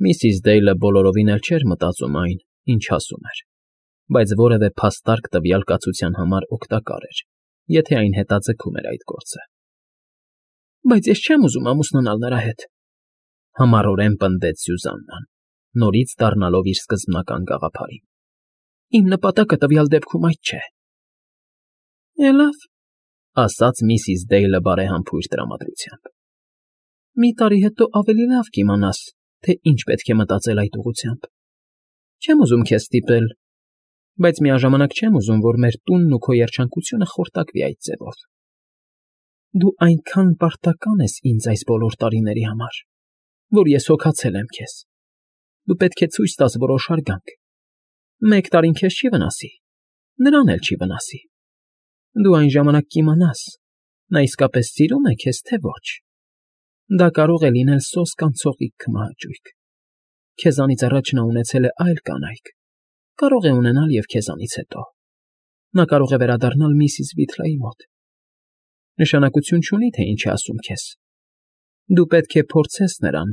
Միսիս Դեյլը բոլորովին էլ չէր մտածում այն, ինչ ասում էր, բայց որևէ փաստարկ տվյալ կացության համար օգտակար էր, եթե այն հետաձգում էր այդ գործը։ Բայց ես չեմ ուզում ամուսնանալ նրա հետ, համառորեն պնդեց Սյուզաննան, նորից դառնալով իր սկզբնական գաղափարին։ Իմ նպատակը տվյալ դեպքում այդ չէ։ Լավ, ասաց միսիս Դեյլը բարեհամբույր տրամադրությամբ։ Մի տարի հետո ավելի լավ կիմանաս, թե ինչ պետք է մտածել այդ ուղղությամբ։ Չեմ ուզում քեզ ստիպել, բայց միաժամանակ չեմ ուզում, որ մեր տունն ու քո երջանկությունը խորտակվի այդ ձևով։ Դու այնքան պարտական ես ինձ այս բոլոր տարիների համար, որ ես հոգացել եմ քեզ։ Դու պետք է ցույց տաս որոշ հարգանք։ 1 տարին քեզ չի վնասի, նրան էլ չի վնասի։ Դու այն ժամանակ կիմանաս, նա իսկապես սիրում է քեզ, թե ոչ։ Դա կարող է լինել սոսկ կամ ցողիկ քմահաճույք։ Քեզանից առաջ նա ունեցել է այլ կանայք, կարող է ունենալ և քեզանից հետո։ Նա կարող է վերադառնալ միսիս Վիթլայի մոտ։ Նշանակություն չունի, թե ինչ է ասում քեզ։ Դու պետք է փորձես նրան,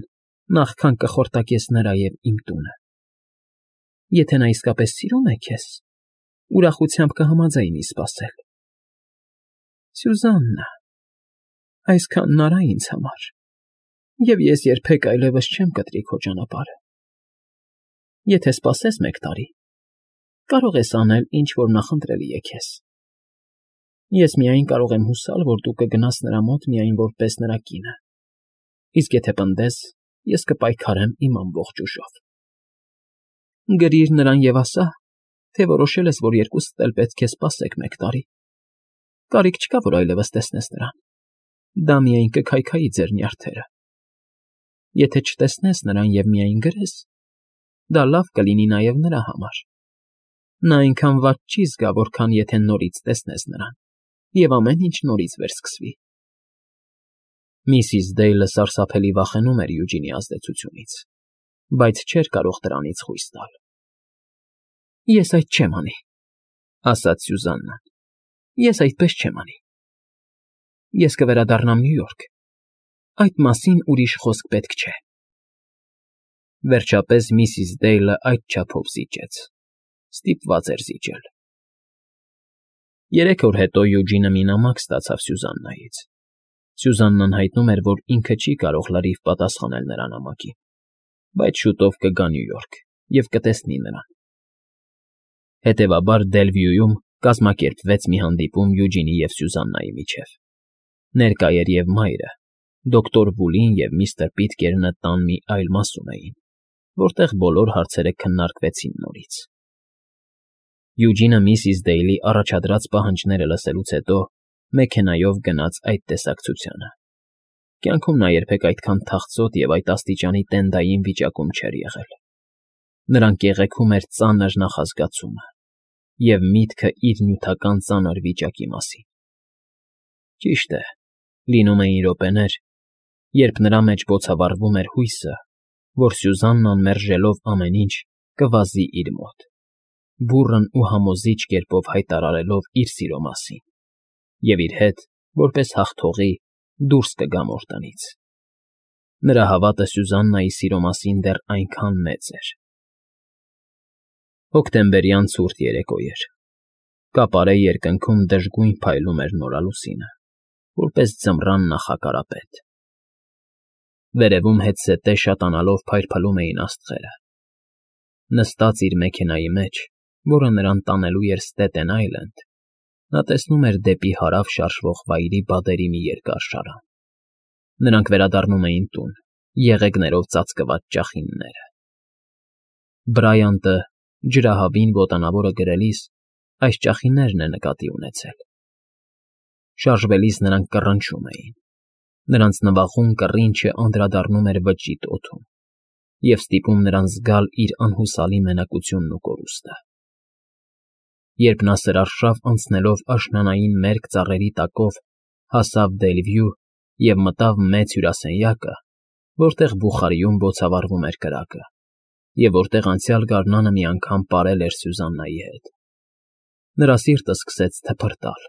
նախքան կխորտակես նրա և իմ տունը։ Եթե նա իսկապես սիրում է քեզ, ուրախությամբ կհամաձայնի սպասել։ Սյուզաննա, այսքանն արա ինձ համար, և ես երբեք այլևս չեմ կտրի քո ճանապարհը։ Եթե սպասես 1 տարի, կարող ես անել, ինչ որ նախընտրելի է քեզ։ Ես միայն կարող եմ հուսալ, որ դու կգնաս նրա մոտ միայն որպես նրա կինը, իսկ եթե պնդես, ես կպայքարեմ իմ ամբողջ ուժով։ Գրիր նրան և ասա, թե որոշել ես, որ երկուսդ էլ պետք է սպասեք 1 տարի։ Կարիք չկա, որ այլևս տեսնես նրան։ Դա միայն կքայքայի ձեր նյարդերը։ Եթե չտեսնես նրան և միայն գրես, դա լավ կլինի նաև նրա համար։ Նա այնքան վատ չի զգա, որքան եթե նորից տեսնես նրան, և ամեն ինչ նորից վերսկսվի։ Միսիս Դեյլը սարսափելի վախենում էր Յուջինի ազդեցությունից, բայց չէր կարող դրանից խույս տալ։ Ես այդ չեմ անի, ասաց Սյուզաննան։ Ես այդպես չեմ անի։ Ես կվերադառնամ Նյու Յորք։ Այդ մասին ուրիշ խոսք պետք չէ։ Վերջապես միսիս Դեյլը այդ չափով զիջեց։ Ստիպված էր զիջել։ 3 օր հետո Յուջինը մի նամակ ստացավ Սյուզաննայից։ Սյուզաննան հայտնում էր, որ ինքը չի կարող լրիվ պատասխանել նրա նամակին, բայց շուտով կգա Նյու Յորք և կտեսնի նրան։ Հետևաբար Դելվյուում կազմակերպվեց մի հանդիպում Յուջինի և Սյուզաննայի միջև։ Ներկա էր և մայրը, դոկտոր Վուլին և միստր Պիտկերնը տան մի այլ մասում էին, որտեղ բոլոր հարցերը քննարկվեցին նորից։ Յուջինը միսիս Դեյլի առաջադրած պահանջները լսելուց հետո մեքենայով գնաց այդ տեսակցությանը։ Կյանքում նա երբեք այդքան թախծոտ և այդ աստիճանի տենդային վիճակում չէր եղել։ Նրան կեղեքում էր ծանր նախազգացումը և միտքը իր նյութական ծանր վիճակի մասին։ Ճիշտ է, լինում էին րոպեներ, երբ նրա մեջ բոցավառվում էր հույսը, որ Սյուզաննան մերժելով ամեն ինչ կվազի իր մոտ, բուռն ու համոզիչ կերպով հայտարարելով իր սիրո մասին, և իր հետ, որպես հաղթողի, դուրս կգա Մորտոնից։ Նրա հավատը Սյուզաննայի սիրո մասին դեռ այնքան մեծ էր։ Հոկտեմբերյան ցուրտ երեկո էր։ Կապարե երկնքում դժգույն փայլում էր նորալուսինը, որպես ձմռան նախակարապետ։ Վերևում հետզհետե շատանալով փայլփլում էին աստղերը։ Նստած իր մեքենայի մեջ, որը նրան տանելու էր Ստետեն Այլենդ, նա տեսնում էր դեպի հարավ շարժվող վայրի բադերի մի երկար շարան։ Նրանք վերադառնում էին տուն, եղեգներով ծածկված ճախինները։ Բրայանտը, ջրահավին ոտանավորը գրելիս, այս ճախիններն է նկատի ունեցել։ Շարժվելիս նրանք կռնչում էին։ Նրանց նվախում կռինչը անդրադառնում էր վճիտ օդում և ստիպում նրան զգալ իր անհուսալի մենակությունն ու կորուստը։ Երբ նա սրարշավ անցնելով աշնանային մերկ ծառերի տակով հասավ Դելվյու և մտավ մեծ հյուրասենյակը, որտեղ բուխարիում բոցավառվում էր կրակը, և որտեղ անցյալ գարնանը մի անգամ պարել էր Սյուզաննայի հետ, նրա սիրտը սկսեց թփրտալ։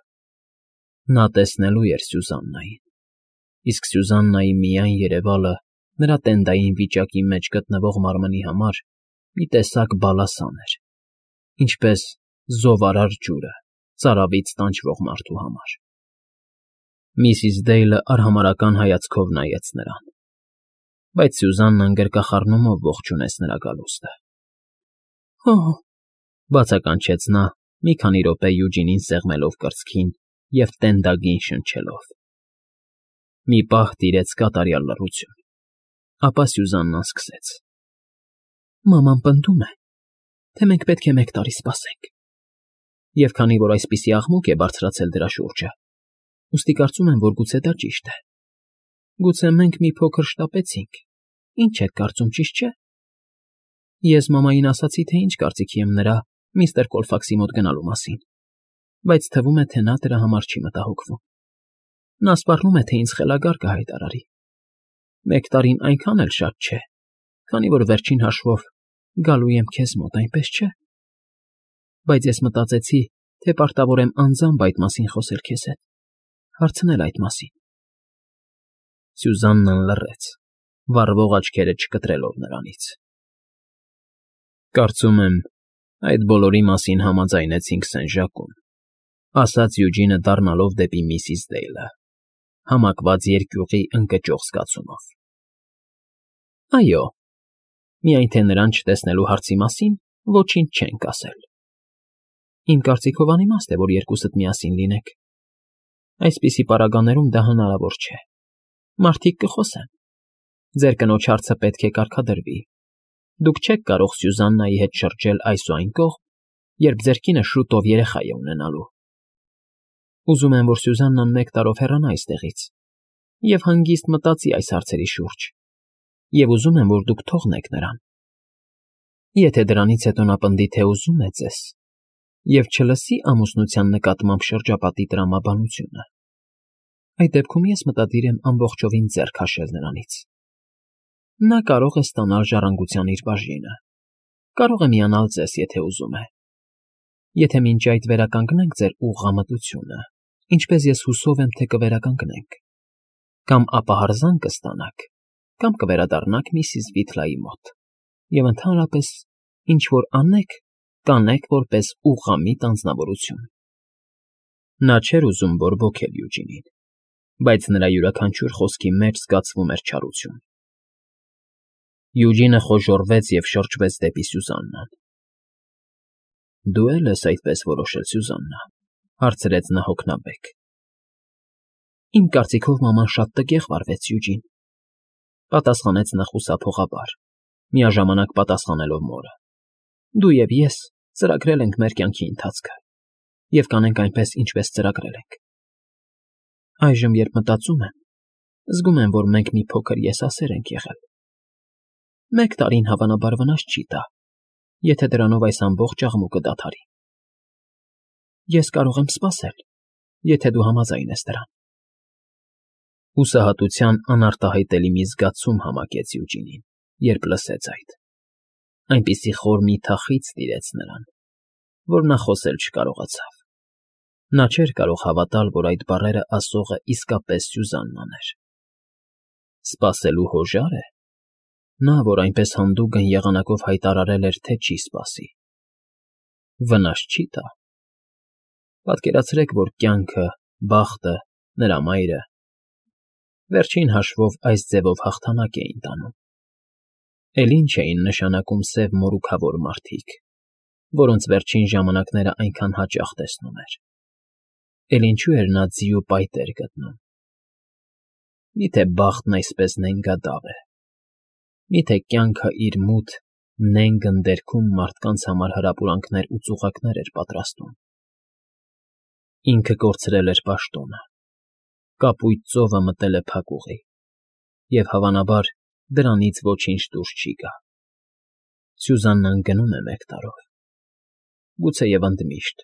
Նա տեսնելու էր Սյուզաննային, իսկ Սյուզաննայի միայն երևալը նրա տենդային վիճակի մեջ գտնվող մարմնի համար մի տեսակ բալասան էր, ինչպես զովարար ջուրը ծարավից տանջվող մարդու համար։ Միսիս Դեյլը արհամարհական հայացքով նայեց նրան, բայց Սյուզաննան գրկախառնումով ողջունեց նրա գալուստը։ «Օ՜», բացականչեց նա, մի քանի րոպե Յուջինին սեղմելով կրծքին և տենդագին շնչելով։ Մի պահ տիրեց կատարյալ լռություն, ապա Սյուզաննան սկսեց. «Մաման պնդում է, թե մենք պետք է 1 տարի սպասենք, և քանի որ այսպիսի աղմուկ է բարձրացել դրա շուրջը, ուստի կարծում եմ, որ գուցե դա ճիշտ է։ Գուցե մենք մի փոքր շտապեցինք, ինչ եք կարծում, ճիշտ չէ՞։ Ես մամային ասացի, թե ինչ կարծիքի եմ նրա միստր Կոլֆաքսի մոտ գնալու մասին, բայց թվում է, թե նա դրա համար չի մտահոգվում։ Նա սպառնում է, թե ինձ խելագար կհայտարարի։ 1 տարին այնքան էլ շատ չէ, քանի որ վերջին հաշվով գալու եմ քեզ մոտ, այնպես չէ։ Բայց ես մտածեցի, թե պարտավոր եմ անձամբ այդ մասին խոսել քեզ հետ, հարցնել այդ մասին»։ Սյուզաննան լռեց, վառվող աչքերը չկտրելով նրանից։ «Կարծում եմ, այդ բոլորի մասին համաձայնեցինք Սեն֊Ժակում», ասաց Յուջինը դառնալով դեպի միսիս Դեյլը, համակված երկյուղի ընկճող զգացումով։ «Այո, միայն թե նրան չտեսնելու հարցի մասին ոչինչ չենք ասել։ Իմ կարծիքով անիմաստ է, որ երկուսդ միասին լինեք։ Այսպիսի պարագաներում դա հնարավոր չէ։ Մարդիկ կխոսեն։ Ձեր կնոջ հարցը պետք է կարգադրվի։ Դուք չեք կարող Սյուզաննայի հետ շրջել այս ու այն կողմ, երբ ձեր կինը շուտով երեխա է ունենալու։ Ուզում եմ, որ Սյուզաննան 1 տարով հեռանա այստեղից և հանգիստ մտածի այս հարցերի շուրջ, և ուզում եմ, որ դուք թողնեք նրան։ Եթե դրանից հետո նա պնդի, թե ուզում է ձեզ, և չլսի ամուսնության նկատմամբ շրջապատի տրամաբանությունը, այդ դեպքում ես մտադիր եմ ամբողջովին ձեռ քաշել նրանից։ Նա կարող է ստանալ ժառանգության իր բաժինը, կարող է միանալ ձեզ, եթե ուզում է։ Եթե մինչ այդ վերականգնենք ձեր ուղղամտությունը, ինչպես ես հուսով եմ, թե կվերականգնենք, կամ ապա հարգանք կստանաք, կամ կվերադառնաք միսիս Վիթլայի մոտ, և ընդհանրապես, ինչ որ անեք, կանեք որպես ուղղամիտ անձնավորություն»։ Նա չէր ուզում բորբոքել Յուջինին, բայց նրա յուրաքանչյուր խոսքի մեջ զգացվում էր չարություն։ Յուջինը խոժոռվեց և շրջվեց դեպի Սյուզաննան։ «Դու է՞լ ես այդպես որոշել, Սյուզաննա», հարցրեց նա հոգնաբեկ։ «Իմ կարծիքով մաման շատ տգեղ վարվեց, Յուջին», պատասխանեց նա խուսափողաբար, միաժամանակ պատասխանելով մորը։ «Դու և ես ծրագրել ենք մեր կյանքի ընթացքը և կանենք այնպես, ինչպես ծրագրել ենք։ Այժմ, երբ մտածում եմ, զգում եմ, որ մենք մի փոքր եսասեր ենք եղել։ 1 տարին հավանաբար վնաս չի տա, եթե դրանով այս ամբողջ աղմուկը դադարի։ Ես կարող եմ սպասել, եթե դու համաձայն ես դրան»։ Հուսահատության անարտահայտելի մի զգացում համակեց Յուջինին, երբ լսեց այդ։ Այնպիսի խոր մի թախիծ տիրեց նրան, որ նա խոսել չկարողացավ։ Նա չէր կարող հավատալ, որ այդ բառերը ասողը իսկապես Սյուզաննան էր։ Սպասելու հոժա՞ր է։ Նա, որ այնպես հանդուգն եղանակով հայտարարել էր, թե չի սպասի։ Վնաս չի տա։ Պատկերացրեք, որ կյանքը, բախտը, նրա մայրը վերջին հաշվով այս ձևով հաղթանակ էին տանում։ Էլ ինչ էին նշանակում սև մորուքավոր մարդիկ, որոնց վերջին ժամանակները այնքան հաճախ տեսնում էր։ Էլ ինչու էր նա ձի ու պայտեր գտնում։ Միթե բախտն այսպես նենգադավ է։ Միթե կյանքը իր մութ, նենգ ընդերքում մարդկանց համար հրապուրանքներ ու ծուղակներ էր պատրաստում։ Ինքը կորցրել էր պաշտոնը, կապույտ ծովը մտել է փակուղի, և հավանաբար դրանից ոչինչ դուրս չի գա։ Սյուզաննան գնում է 1 տարով, գուցեև ընդմիշտ,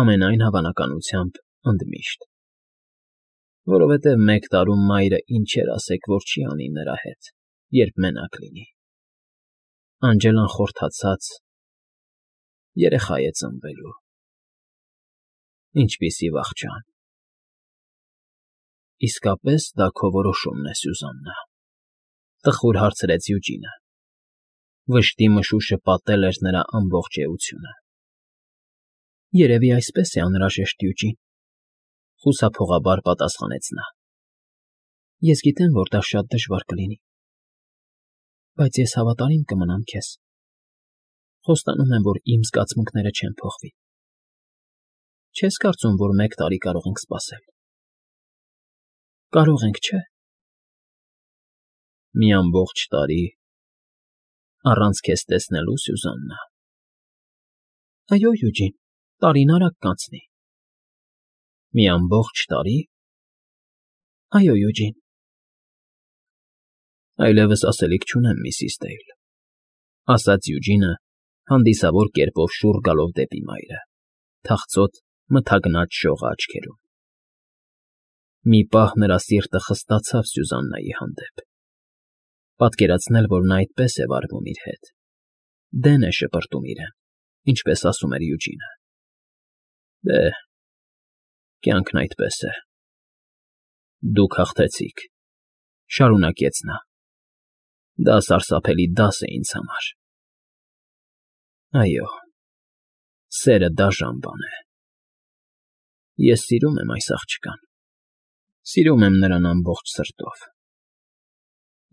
ամենայն հավանականությամբ ընդմիշտ, որովհետև 1 տարում մայրը ինչեր ասեք, որ չի անի նրա հետ, երբ մենակ լինի։ Անջելան խորթացած երեխա է ծնվելու։ Ինչպիսի վախճան։ Իսկապես դա քո որոշումն է, Սյուզաննա։ Տխուր հարցրեց Յուջինը։ Վշտի մշուշը պատել էր նրա ամբողջ էությունը։ Երևի այսպես է անհրաժեշտ, Յուջին, խուսափողաբար պատասխանեց նա։ Ես գիտեմ, որ դա շատ դժվար կլինի, բայց ես հավատարիմ կմնամ քեզ։ Խոստանում եմ, որ իմ զգացմունքները չեն փոխվի։ Չես կարծում, որ 1 տարի կարող ենք սպասել։ Կարող ենք, չէ՞։ Մի ամբողջ տարի առանց քեզ տեսնելու, Սյուզաննա։ Այո, Յուջին, տարին արագ կանցնի։ Մի ամբողջ տարի։ Այո, Յուջին։ Այլևս ասելիք չունեմ, Միսիս Դեյլ, ասաց Յուջինը, հանդիսավոր կերպով շուռ գալով դեպի մայրը, թախծոտ մթագնած շողը աչքերում։ Մի պահ նրա սիրտը խստացավ Սյուզաննայի հանդեպ։ Պատկերացնել, որ նա այդպես է վարվում իր հետ։ Դեն է շպրտում իրեն, ինչպես ասում էր Յուջինը։ Դե, կյանքն այդպես է։ Դուք հաղթեցիք, շարունակեց նա։ Դա սարսափելի դաս է ինձ համար։ Այո, սերը դաժան բան է։ Ես սիրում եմ այս աղջկան։ Սիրում եմ նրան ամբողջ սրտով։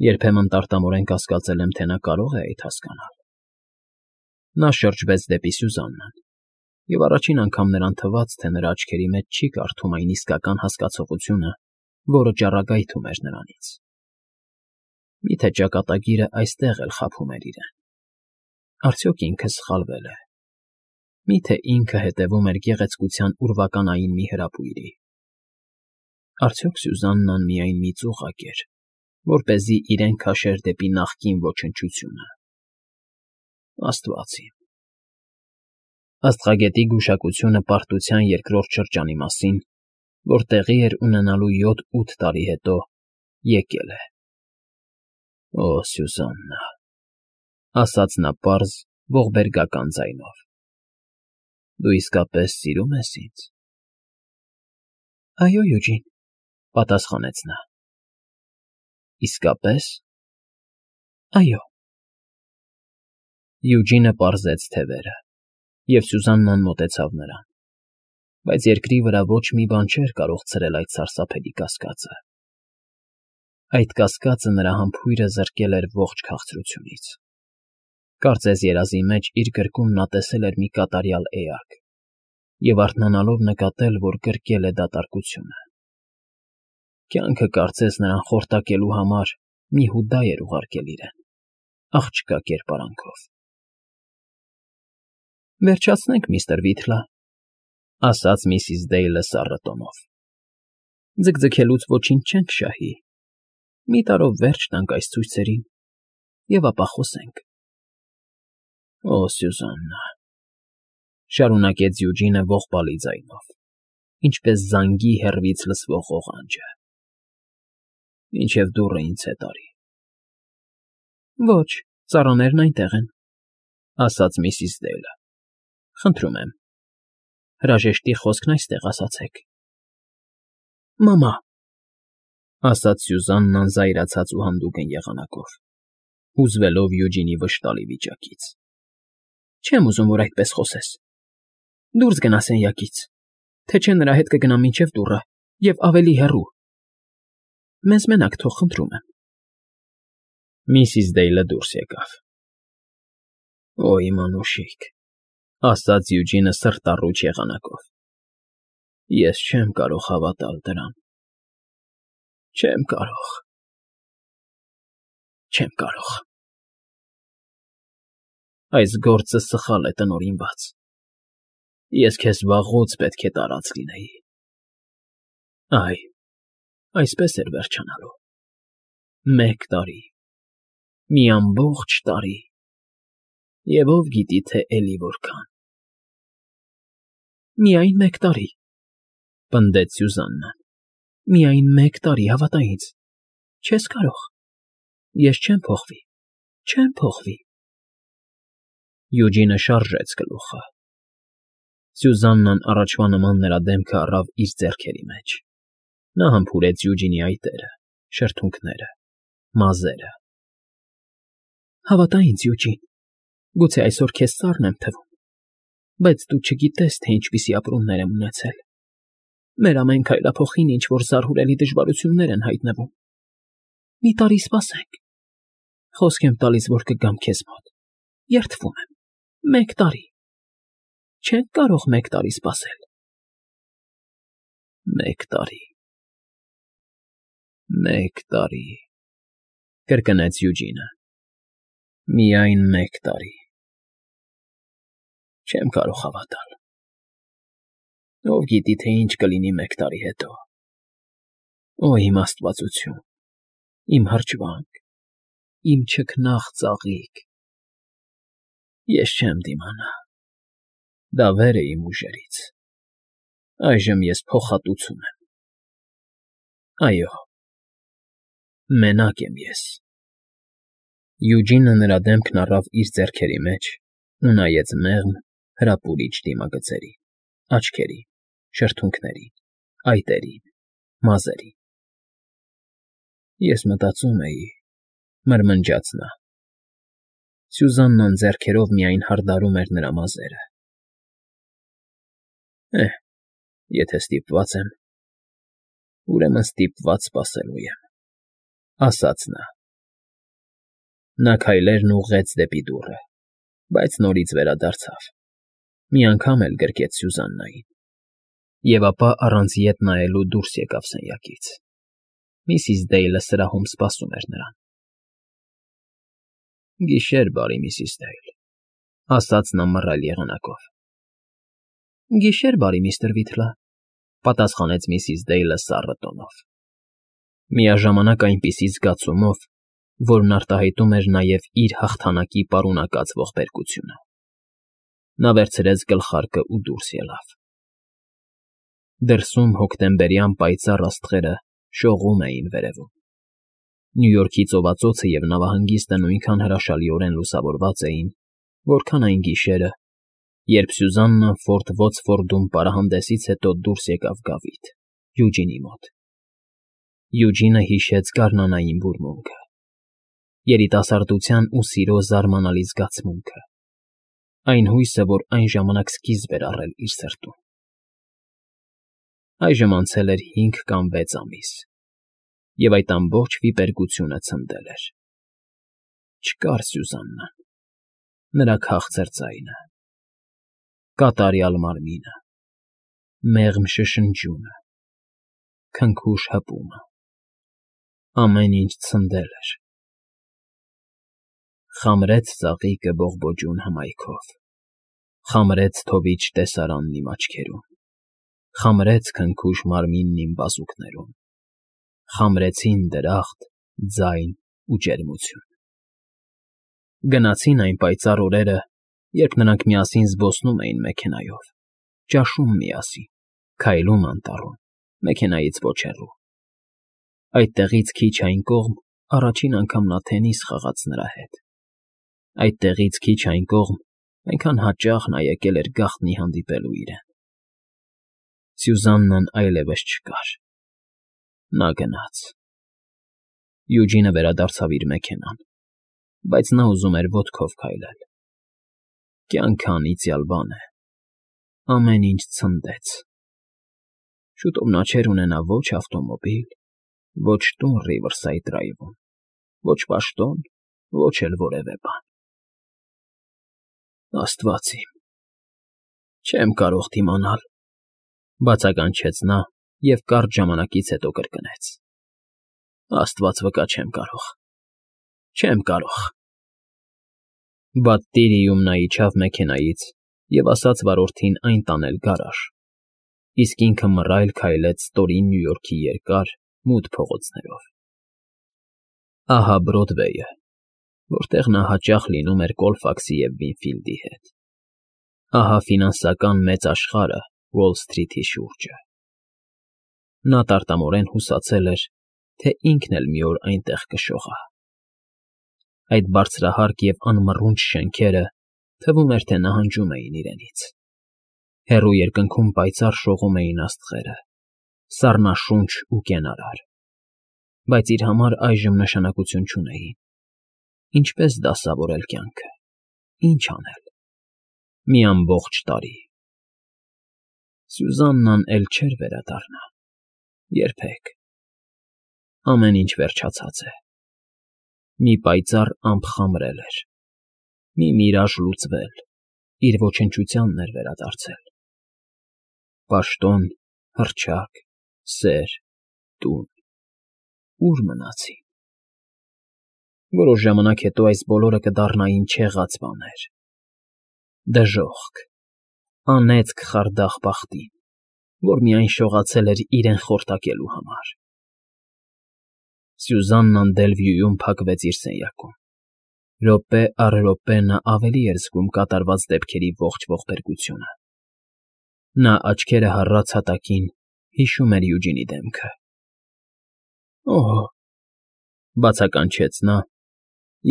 Երբեմն տարտամորեն կասկածել եմ, թե նա կարող է այդ հասկանալ։ Նա շրջվեց դեպի Սյուզաննան, և առաջին անգամ նրան թվաց, թե նրա աչքերի մեջ չի կարդում այն իսկական հասկացողությունը, որը ճառագայթում էր նրանից։ Միթե ճակատագիրը այստեղ էլ խաբում էր իրեն։ Արդյոք ինքը սխալվել է։ Միթե ինքը հետևում էր գեղեցկության ուրվականային մի հրապույրի։ Արդյոք Սյուզաննան միայն մի ծուղակ էր, որպեսզի իրեն քաշեր դեպի նախկին ոչնչությունը։ Աստված իմ։ Աստղագետի գուշակությունը պարտության երկրորդ շրջանի մասին, որ տեղի էր ունենալու 7-8 տարի հետո, եկել է։ Օ, Սյուզաննա, ասաց նա պարզ, ողբերգական ձայնով։ Դու իսկապես սիրում ես ինձ։ Այո, Յուջին, պատասխանեց նա։ Իսկապես։ Այո։ Յուջինը պարզեց թևերը, և Սյուզաննան մոտեցավ նրան, բայց երկրի վրա ոչ մի բան չէր կարող ցրել այդ սարսափելի կասկածը։ Այդ կասկածը նրա համբույրը զրկել էր ողջ քաղցրությունից։ Կարծես երազի մեջ իր գրկում նա տեսել էր մի կատարյալ էակ և արթնանալով նկատել, որ գրկել է դատարկությունը։ Կյանքը կարծես նրան խորտակելու համար մի հուդա էր ուղարկել իրեն, աղջկա կերպարանքով։ Վերջացնենք, միստր Վիթլա, ասաց միսիս Դեյլը սառը տոնով։ Ձգձգելուց ոչինչ չենք շահի։ Մի տարով վերջ տանք այս ցույցերին, և ապա խոսենք։ Օ, Սյուզաննա, շարունակեց Յուջինը ողբալի ձայնով, ինչպես զանգի հեռվից լսվող ղողանջը։ Մինչև դուռը ինձ հետ արի։ Ոչ, ծառաներն այնտեղ են, ասաց միսիս Դեյլը։ Խնդրում եմ, հրաժեշտի խոսքն այստեղ ասացեք։ Մամա, ասաց Սյուզաննան զայրացած ու հանդուգն եղանակով, հուզվելով Յուջինի վշտալի վիճակից։ Չեմ ուզում, որ այդպես խոսես։ Դուրս գնա սենյակից, թե չէ նրա հետ կգնամ մինչև դուռը և ավելի հեռու։ Մեզ մենակ թող, խնդրում եմ։ Միսիս Դեյլը դուրս եկավ։ Օ, իմ անուշիկ, ասաց Յուջինը սրտառուչ եղանակով։ Ես չեմ կարող հավատալ դրան։ Չեմ կարող։ Չեմ կարող։ Այս գործը սխալ է տնօրինված։ Ես քեզ վաղուց պետք է տարած լինեի։ Այ, այսպես էր վերջանալու։ 1 տարի, մի ամբողջ տարի, և ով գիտի, թե էլի որքան։ Միայն 1 տարի, պնդեց Սյուզաննան։ Միայն 1 տարի, հավատա ինձ։ Չես կարող։ Ես չեմ փոխվի, չեմ փոխվի։ Յուջինը շարժեց գլուխը։ Սյուզաննան առաջվա նման նրա դեմքը առավ իր ձեռքերի մեջ։ Նա համբուրեց Յուջինի այտերը, շրթունքները, մազերը, Հավատա ինձ, Յուջին, գուցե այսօր քեզ սառն եմ թվում, բայց դու չգիտես, թե ինչպիսի ապրումներ եմ ունեցել։ Մեր ամեն քայլափոխին ինչ-որ զարհուրելի դժվարություններ են հայտնվում։ Մի տարի սպասենք։ Խոսք եմ տալիս, որ կգամ քեզ մոտ։ Երդվում եմ։ 1 տարի։ Չենք կարող 1 տարի սպասել։ 1 տարի։ 1 տարի, կրկնեց Յուջինը։ Միայն 1 տարի։ Չեմ կարող հավատալ։ Ով գիտի, թե ինչ կլինի 1 տարի հետո։ Օ, իմ աստվածություն, իմ հրճվանք, իմ չքնաղ ծաղիկ։ Ես չեմ դիմանա։ Դա վեր է իմ ուժերից։ Այժմ ես փոխհատուցում եմ։ Այո, մենակ եմ ես։ Յուջինը նրա դեմքն առավ իր ձեռքերի մեջ ու նայեց մեղմ, հրապուրիչ դիմագծերին, աչքերին, շրթունքներին, այտերին, մազերին։ Ես մտածում էի, մրմնջաց նա։ Սյուզաննան ձեռքերով միայն հարդարում էր նրա մազերը։ Եթե ստիպված եմ, ուրեմն ստիպված սպասելու եմ, ասաց նա։ Նա քայլերն ուղղեց դեպի դուռը, բայց նորից վերադարձավ։ Մի անգամ էլ գրկեց Սյուզաննային, և ապա առանց ետ նայելու դուրս եկավ սենյակից։ Միսիս Դեյլը սրահում սպասում էր նրան։ Գիշեր, բարի Միսիս Դեյլ, ասաց նա մռայլ եղանակով։ Գիշեր, բարի միստր Վիթլը, պատասխանեց Միսիս Դեյլը սառը տոնով, միաժամանակ այնպիսի զգացումով, որն արտահայտում էր նաև իր հաղթանակի պարունակած ողբերգությունը։ Նա վերցրեց գլխարկը ու դուրս ելավ։ Դրսում հոկտեմբերյան պայծառ աստղերը շողում էին վերևում։ Նյու Յորքի ծովածոցը և նավահանգիստը նույնքան հրաշալիորեն լուսավորված էին, որքան այն գիշերը, երբ Սյուզաննան Ֆորտ Ոքսֆորդում պարահանդեսից հետո դուրս եկավ գավիթ, Յուջինի մոտ։ Յուջինը հիշեց գարնանային բուրմունքը, երիտասարդության ու սիրո զարմանալի զգացմունքը, այն հույսը, որ այն ժամանակ սկիզբ էր առել իր սրտում։ Այժմ անցել էր 5 կամ 6 ամիս, և այդ ամբողջ վիպերգությունը ցնդել էր։ Չկար Սյուզաննան, նրա քաղցր ձայնը, կատարյալ մարմինը, մեղմ շշնջյունը, քնքուշ հպումը, ամեն ինչ ցնդել էր։ Խամրեց ծաղիկը բողբոջուն հմայքով, խամրեց թովիչ տեսարանն իմ աչքերում, խամրեց քնքուշ մարմինն իմ բազուկներում, խամրեցին դրախտ, ձայն ու ջերմություն։ Գնացին այն պայծառ օրերը, երբ նրանք միասին զբոսնում էին մեքենայով, ճաշում միասին, քայլում անտառում, մեքենայից ոչ հեռու։ Այդտեղից քիչ այն կողմ առաջին անգամ նա թենիս խաղաց նրա հետ։ Այդտեղից քիչ այն կողմ այնքան հաճախ նա եկել էր գաղտնի հանդիպելու իրեն։ Սյուզաննան այլևս չկար։ Նա գնաց։ Յուջինը վերադարձավ իր մեքենան, բայց նա ուզում էր ոտքով քայլել։ Կյանքը անիծյալ բան է։ Ամեն ինչ ցնդեց։ Շուտով նա չէր ունենա ոչ ավտոմոբիլ, ոչ տուն Ռիվերսայդ Դրայվում, ոչ պաշտոն, ոչ էլ որևէ բան։ Աստված իմ, չեմ կարող դիմանալ, բացականչեց նա և կարճ ժամանակից հետո կրկնեց. Աստված վկա, չեմ կարող, չեմ կարող։ Բատտիրիում նա իջավ մեքենայից և ասաց վարորդին այն տանել գարաժ, իսկ ինքը մռայլ քայլեց ստորին Նյու Յորքի երկար, մութ փողոցներով։ Ահա Բրոդվեյը, որտեղ նա հաճախ լինում էր Կոլֆաքսի և Վինֆիլդի հետ։ Ահա ֆինանսական մեծ աշխարհը Ուոլ Սթրիթի շուրջը։ Նա տարտամորեն հուսացել էր, թե ինքն էլ մի օր այնտեղ կշողա։ Այդ բարձրահարկ և անմռունչ շենքերը թվում էր, թե նահանջում էին իրենից։ Հեռու երկնքում պայծառ շողում էին աստղերը, սառնաշունչ ու կենարար, բայց իր համար այժմ նշանակություն չունեին։ Ինչպես դասավորել կյանքը, ինչ անել։ Մի ամբողջ տարի… Սյուզաննան էլ չէր վերադառնա… երբեք… Ամեն ինչ վերջացած է… Մի պայծառ ամպ խամրել էր, մի միրաժ լուծվել, իր ոչնչությանն էր վերադարձել… Պաշտոն, հռչակ, սեր, տուն… Ո՞ւր մնացին… Որոշ ժամանակ հետո այս բոլորը կդառնային չեղած բաներ… Դժոխք, անեծք խարդախ բախտին, որ միայն շողացել էր իրեն խորտակելու համար… Սյուզաննան Դելվյուում փակվեց իր սենյակում… Րոպե առ րոպե նա ավելի էր զգում կատարված դեպքերի ողջ ողբերգությունը… Նա աչքերը հառած հատակին հիշում էր Յուջինի դեմքը… Օհ…֊ բացականչեց նա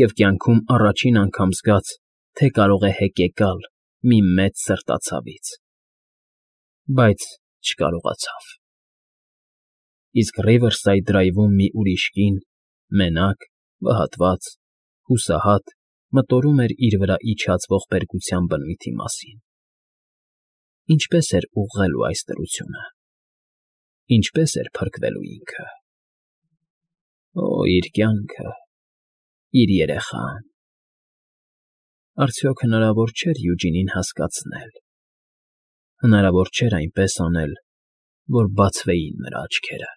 և կյանքում առաջին անգամ զգաց, թե կարող է հեկեկալ մի մեծ սրտացավից… Բայց չկարողացավ… Իսկ Ռիվերսայդ Դրայվում մի ուրիշ կին, մենակ, վհատված, հուսահատ մտորում էր իր վրա իջած ողբերգության բնույթի մասին… Ինչպե՞ս էր ուղղելու այս դրությունը… Ինչպե՞ս էր փրկվելու ինքը… Օ՜, իր կյանքը… իր երեխան… Արդյոք հնարավոր չէր Յուջինին հասկացնել… Հնարավոր չէր այնպես անել, որ բացվեին նրա աչքերը…